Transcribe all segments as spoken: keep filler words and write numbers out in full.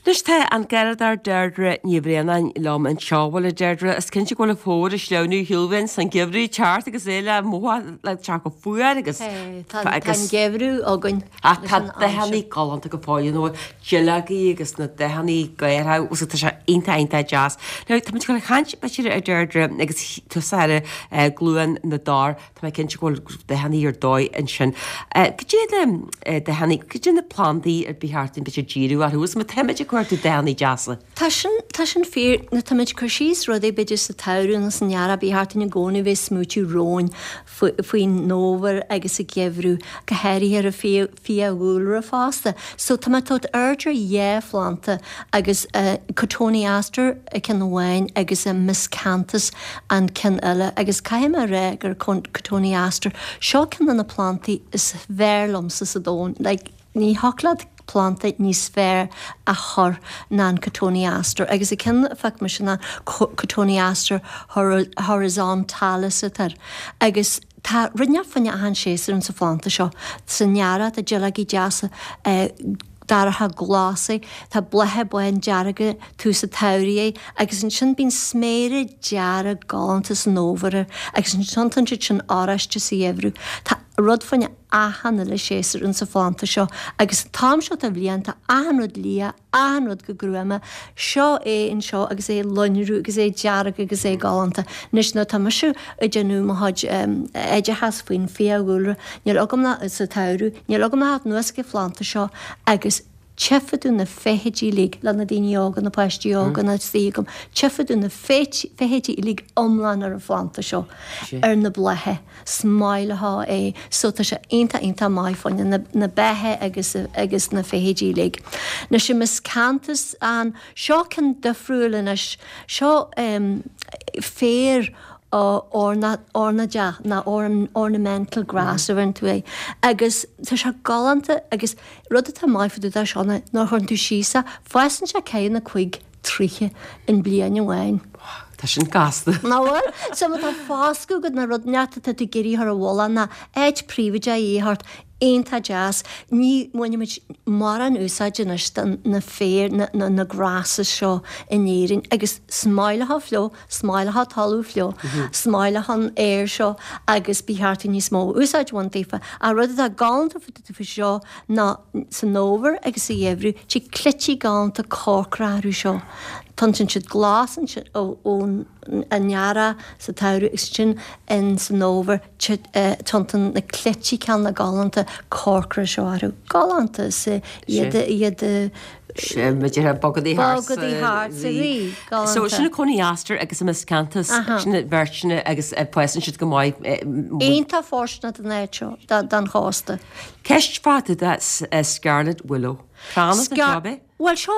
Anois tá an Garradóir Deirdre Ní Bhraonáin liom anseo. Bhuel a Deirdre, is cinnte go bhfuil an fómhar ag sleamhnú ar shiúl uainn 's an geimhreadh ag teacht agus é le mothú le teacht go fuar agus Tá an geimhreadh againn. Ach tá dathanna galánta go fóill nó duilleogaí agus na dathanna géara agus tá sé iontach iontach deas. Now tá muid ag dul a chaint b'fhéidir a Deirdre agus tusa ar Glúin na dTor, tá mé cinnte go bhfuil dathanna ar dóigh ansin. Cad é na dathanna, cad é na plandaí ar ba cheart dúinn b'fhéidir díriú orthu agus má táimid ag cuartú dathanna deasa? Tá sin, tá sin fíor. Nuair tá muid ag cur síos rudaí b'fhéidir sa tsamhradh nó san earrach ba cheart dúinn i gcónaí bheith ag smaoitiú romhainn faoin fhómhar agus sa gheimhreadh, go háirithe ar an bhfiadhúlra fosta. So tá mé ag tabhairt aird ar dhá phlanta agus Cotoneaster an ceann amháin agus Miscanthus an ceann eile agus caithfidh mé a rá gur Cotoneaster, seo ceann de na plantaí is fearr liomsa sa domhan. Like, ní thiocfadh leat planda níos fearr a chur ná an Cotoneaster agus an ceann a phioc mise ná Cotoneaster horizontalis atá air agus tá rud inteacht fá choinne achan séasúr insa phlanda seo. San earrach tá duilleogaí deasa dorcha glasa, tá blátha bándearga tús an tsamhraidh air agus ansin bíonn sméara dearg galánta san fhómhar air agus ansin tiontann siad sin oráiste sa gheimhreadh. Tá rud fá choinne achan uile séasúr insa phlanda seo agus an t-am seo de bhliain tá achan rud liath, achan rud go gruama. Seo é anseo agus é ag lonrú agus é dearg agus é galánta. Anois nuair atá mise ag déanamh mo chuid oideachas faoin bhfiadhúlra, níl agam ach sa tsamhradh, níl agam ach theacht anuas ag an phlanda seo agus tchífidh tú na feithidí uilig le na daoine óga, na páistí óga atá istigh agam, tchífidh tú na feithidí uilig iomlán ar an phlanda seo, ar na blátha. Is maith leo é. So tá sé iontach iontach maith fá choinne na na beithe agus agus na feithidí uilig. Anois an Miscanthus an, seo ceann difriúil anois, seo féar ornáideach nó ornamental grass a bheireann tú air agus tá sé galánta agus rud atá maith fá dtaobh de seo ná nuair a chuireann tú síos é, fásann sé ceathracha cúig troithe in bliain amháin. Tá sin gasta. Nach bhfuil? So má tá foscadh agat nó rud inteacht atá tú ag iarraidh a chur i bhfolach nó áit príobháideach a thabhairt, iontach deas. Ní bhainimid mórán úsáid anois de na féir, na, na, na grasses seo in Éirinn agus is maith leo fliuch, is maith leo talamh fliuch, is maith leo an aer seo agus ba cheart dúinn níos mó úsáid a bhaint daofa. Ach rud atá galánta faoi seo ná san fhómhar agus sa gheimhreadh, tig cleití galánta corcra orthu seo. Tiontann siad glas ansin ón earrach sa tsamhradh agus ansin in san fhómhar tiontann na cleití ceanna galánta corcra seo orthu. Galánta is iad iad B'fhéidir bogadaí thart Bogadaí thart sa rí. Galánta. So sin an Cotoneaster agus an Miscanthus, sin an bheirt sin agus fásann siad go maith. Iontach fóirsteanach don áit seo, don chósta. Ceist fá dtaobh de Scarlet Willow. Crann as an job é? Bhuel seo,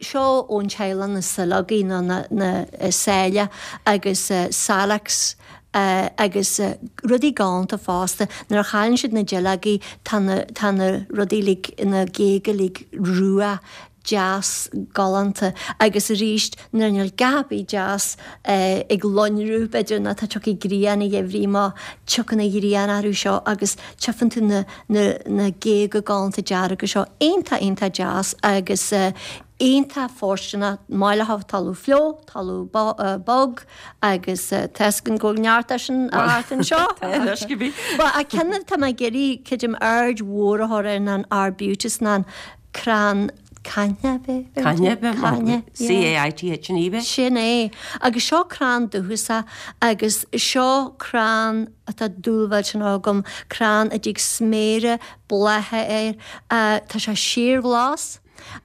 seo ón teaghlach na saileogaí nó na, na sáile agus Salix agus rudaí galánta fosta. Nuair a chailleann siad na duilleogaí tá na, tá na rudaí uilig, na géaga uilig rua, deas, galánta agus arís nuair níl a dhath ar bith deas ag lonrú b'fhéidir nó tá tiocfaidh grian an gheimhridh má tiocfaidh an ghrian orthu seo agus tchífeann tú na na na géaga galánta dearga seo iontach iontach deas agus iontach fóirsteanach maith le talamh fliuch, talamh bog agus tá 'fhios againn go bhfuil neart de sin thart anseo. Tá anois go bhí. Bhuel an ceann atá mé ag iarraidh creidim aird mhór a chur air ná an Arbutus ná an crann Caithne, b'é? Caithne, b'é? Caithne, yeah. C-A-I-T-H-N-E, b'é? Sin é. Agus seo crann dúchasach agus seo crann atá dúil mhillteanach agam, crann a dtig sméara blátha air. Tá sé síorghlas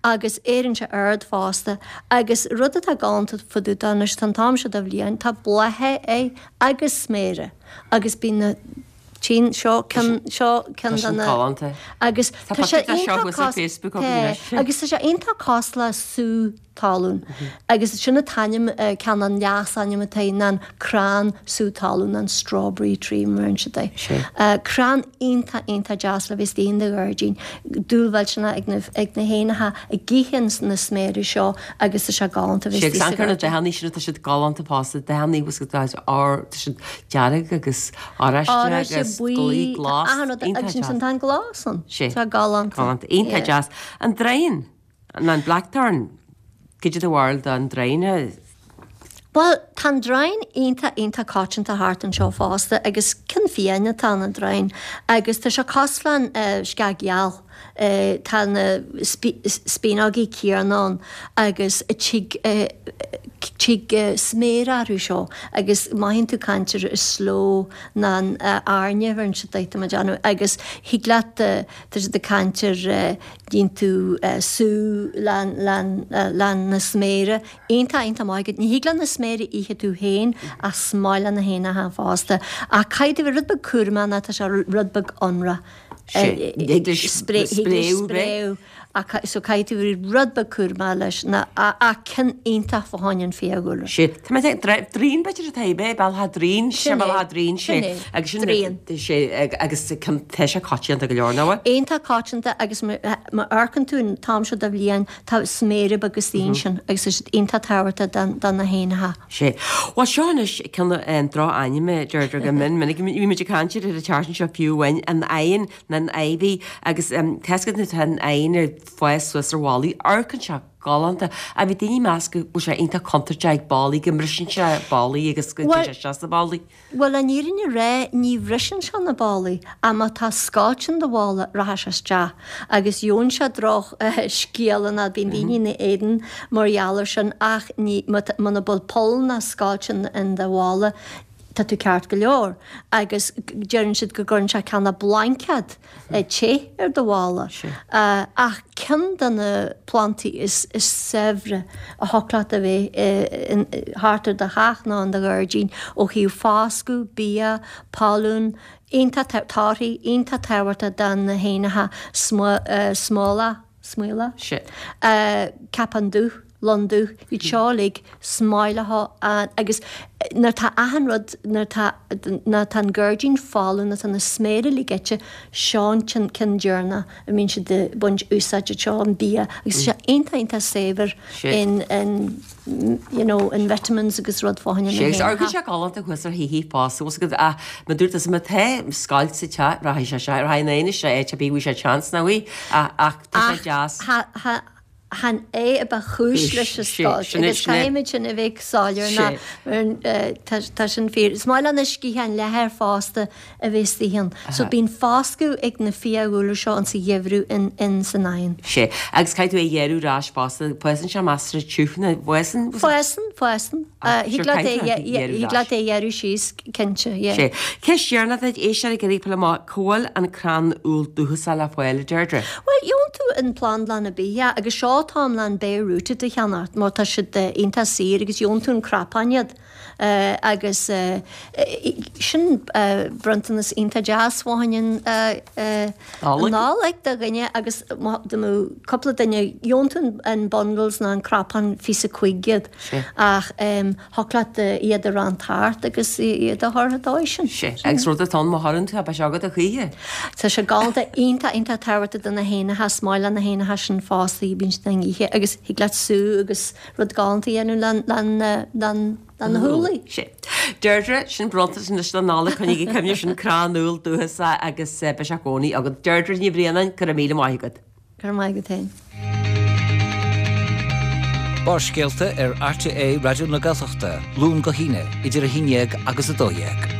agus éiríonn sé ard fosta. Agus rud atá galánta fá dtaobh de anois, tá an t-am seo de bhliain, tá blátha air agus sméara agus bíonn na. Tchíonn, seo ceann, seo ceann de na. Galánta. Agus Tá tá sé pictiúr de seo iontach thuas ar cos, Facebook tá, againn anois. agus tá sé iontach cosúil le sú talún. Agus sin an t-ainm, ceann an leasainm atá air ná an crann sú talún, an strawberry tree mar a deireann siad é. Sé. Crann iontach, iontach deas le bheith istigh in do ghairdín. Dúil mhillteanach ag na, ag na héanacha ag ithe na sméara seo agus tá sé galánta bheith Sé agus istigh sa amharc ar na ghairdín. dathanna sin, tá siad galánta fosta, dathanna agus tá siad dearg agus oráiste Oráiste, agus buí, buí, glas, achan rud, iontach agus ansin deas. tá an glas ann. Sé. Tá galánta. Galánta, iontach Yeah. deas. An draighean? Ná an blackthorn, cad é do bharúil don draighean? Bhuel, tá an draighean iontach, iontach coitianta thart anseo fosta agus ceann fiáin atá in an draighean agus tá sé cosúil le'n sceach gheal. Tá na spíonógaí céanna ann agus tig tig sméara orthu seo agus mothaíonn tú caint ar slow ná an airne a bheireann siad duit tá mé ag déanamh agus thig leat tá siad ag caint ar déanann tú sú le na sméara iontach iontach maith agat. Ní thig leat na sméara a ithe tú féin ach is maith le na héanacha fosta. Ach caithfidh tú bheith rud beag cúramach nó tá sé rud beag ionrach. Spréadh ach so caithfidh tú bheith rud beag cúramach leis ná ach ceann iontach fá choinne an fiadhúlra. Sé tá mé ag draighean b'fhéidir atá é bealach draighean sé bealach draighean sé agus sin sé agus tá sé coitianta go leor nó. Iontach coitianta agus má amharcann tú an t-am seo de bhliain tá sméara beaga istigh ansin agus tá siad iontach tábhachtach do na héanacha. Sé. Bhuel seo anois ceann an droch-ainm a deirtear go mion minic bhí muid ag caint air ar an tseachtain seo fiú amháin an oigheann nó an ivy agus tá a fhios agat nuair atá an oigheann ag fás suas ar bhallaí amharcann sé galánta ach bhí daoine ag meas go bhfuil sé iontach contúirteach ag ballaí go mbriseann sé ballaí agus go dtéann sé isteach sna ballaí. Bhuel an fhírinne a rá ní bhriseann sé na ballaí ach má tá scoilt in do bhalla rachaidh sé isteach agus gheobhann sé droch scéala ná bíonn daoine ina éadan mar gheall ar sin ach ní muna bhfuil poll ná scoilt in do bhalla tá tú ceart go leor agus deireann siad go gcuireann sé cineál blaincéad te ar do bhalla. Ach ceann de na plantaí is saibhre a thiocfadh leat a bheith thart ar do theach nó in do ghairdín ó thaobh foscadh, bia, pailin, iontach torthaí, iontach tábhachtach do na héanacha smólach, smaolach, ceapach dubh. lon dubh, iad seo uilig, smáileacha agus nuair atá achan rud, nuair atá, nuair atá an gairdín folamh, nuair atá na sméara uilig ite, seo an ceann deireanach a mbíonn siad ag baint úsáid as seo, an bia, agus tá sé iontach, iontach saibhir in, in, you know, in vitamins agus rud fá choinne na Sé, agus sé galánta thuas ar thithe fosta, bhfuil 's agat, ach mar dúirt tusa, má tá scoilt sa teach, rachaidh sé, rachaidh an oigheann isteach áit ar bith a bhfaighidh sé chance, nach bhfaighidh, ach, ach tá sé deas. Ach, tha, tha, Chan é a ba chúis leis an scoilt agus caithfimid sin a bheith soiléir ná tá sin fíor. Is maith le na sciatháin leathair fosta a bheith istigh ann. So bíonn foscadh ag na fiadhúlra seo insa gheimhreadh in in san oigheann. Sé. Agus caithfidh tú é a ghearradh ar ais fosta. Fásann sé measartha tiubh nó fásann? Fásann, fásann. Thig leat é thig leat é a ghearradh síos cinnte, yeah. Sé. Ceist dheireanach duit, éisteoir ag iarraidh fáil amach cá bhfuil an crann úll dúchasach le fáil, a Deirdre? Bhuel, gheobhann tú in plandlann ar bith é agus seo táim le an bare rooted a cheannacht mar tá siad iontach saor agus gheobhann tú in cnapáin iad agus sin bronntanas iontach deas fá choinne an Nollaig do dhuine agus dá mbeadh cúpla duine gheobhann tú an bundles nó an cnapán fiche a cúig iad ach thiocfadh leat iad a roinnt thart agus iad a chur an dóigh sin. Sé, agus rud atá ann má chuireann tú é, beidh sé agat a choíche. Tá sé galánta, iontach, iontach tábhachtach do na héanacha, is maith le na héanacha sin fosta, bíonn siad á n-ithe agus thig leat sú agus rud galánta a dhéanamh le na húllaí. Sé. Deirdre, sin bronntanas anois don Nollaig, coinnigh i gcuimhne sin crann úll dúchasach agus beidh sé i gcónaí agat. Deirdre Ní Bhraonáin, go raibh míle maith agat. Go raibh maith agat féin. Barrscéalta ar RTÉ Raidió na Gaeltachta, Luan go hAoine, idir a haon dhéag agus a dó dhéag.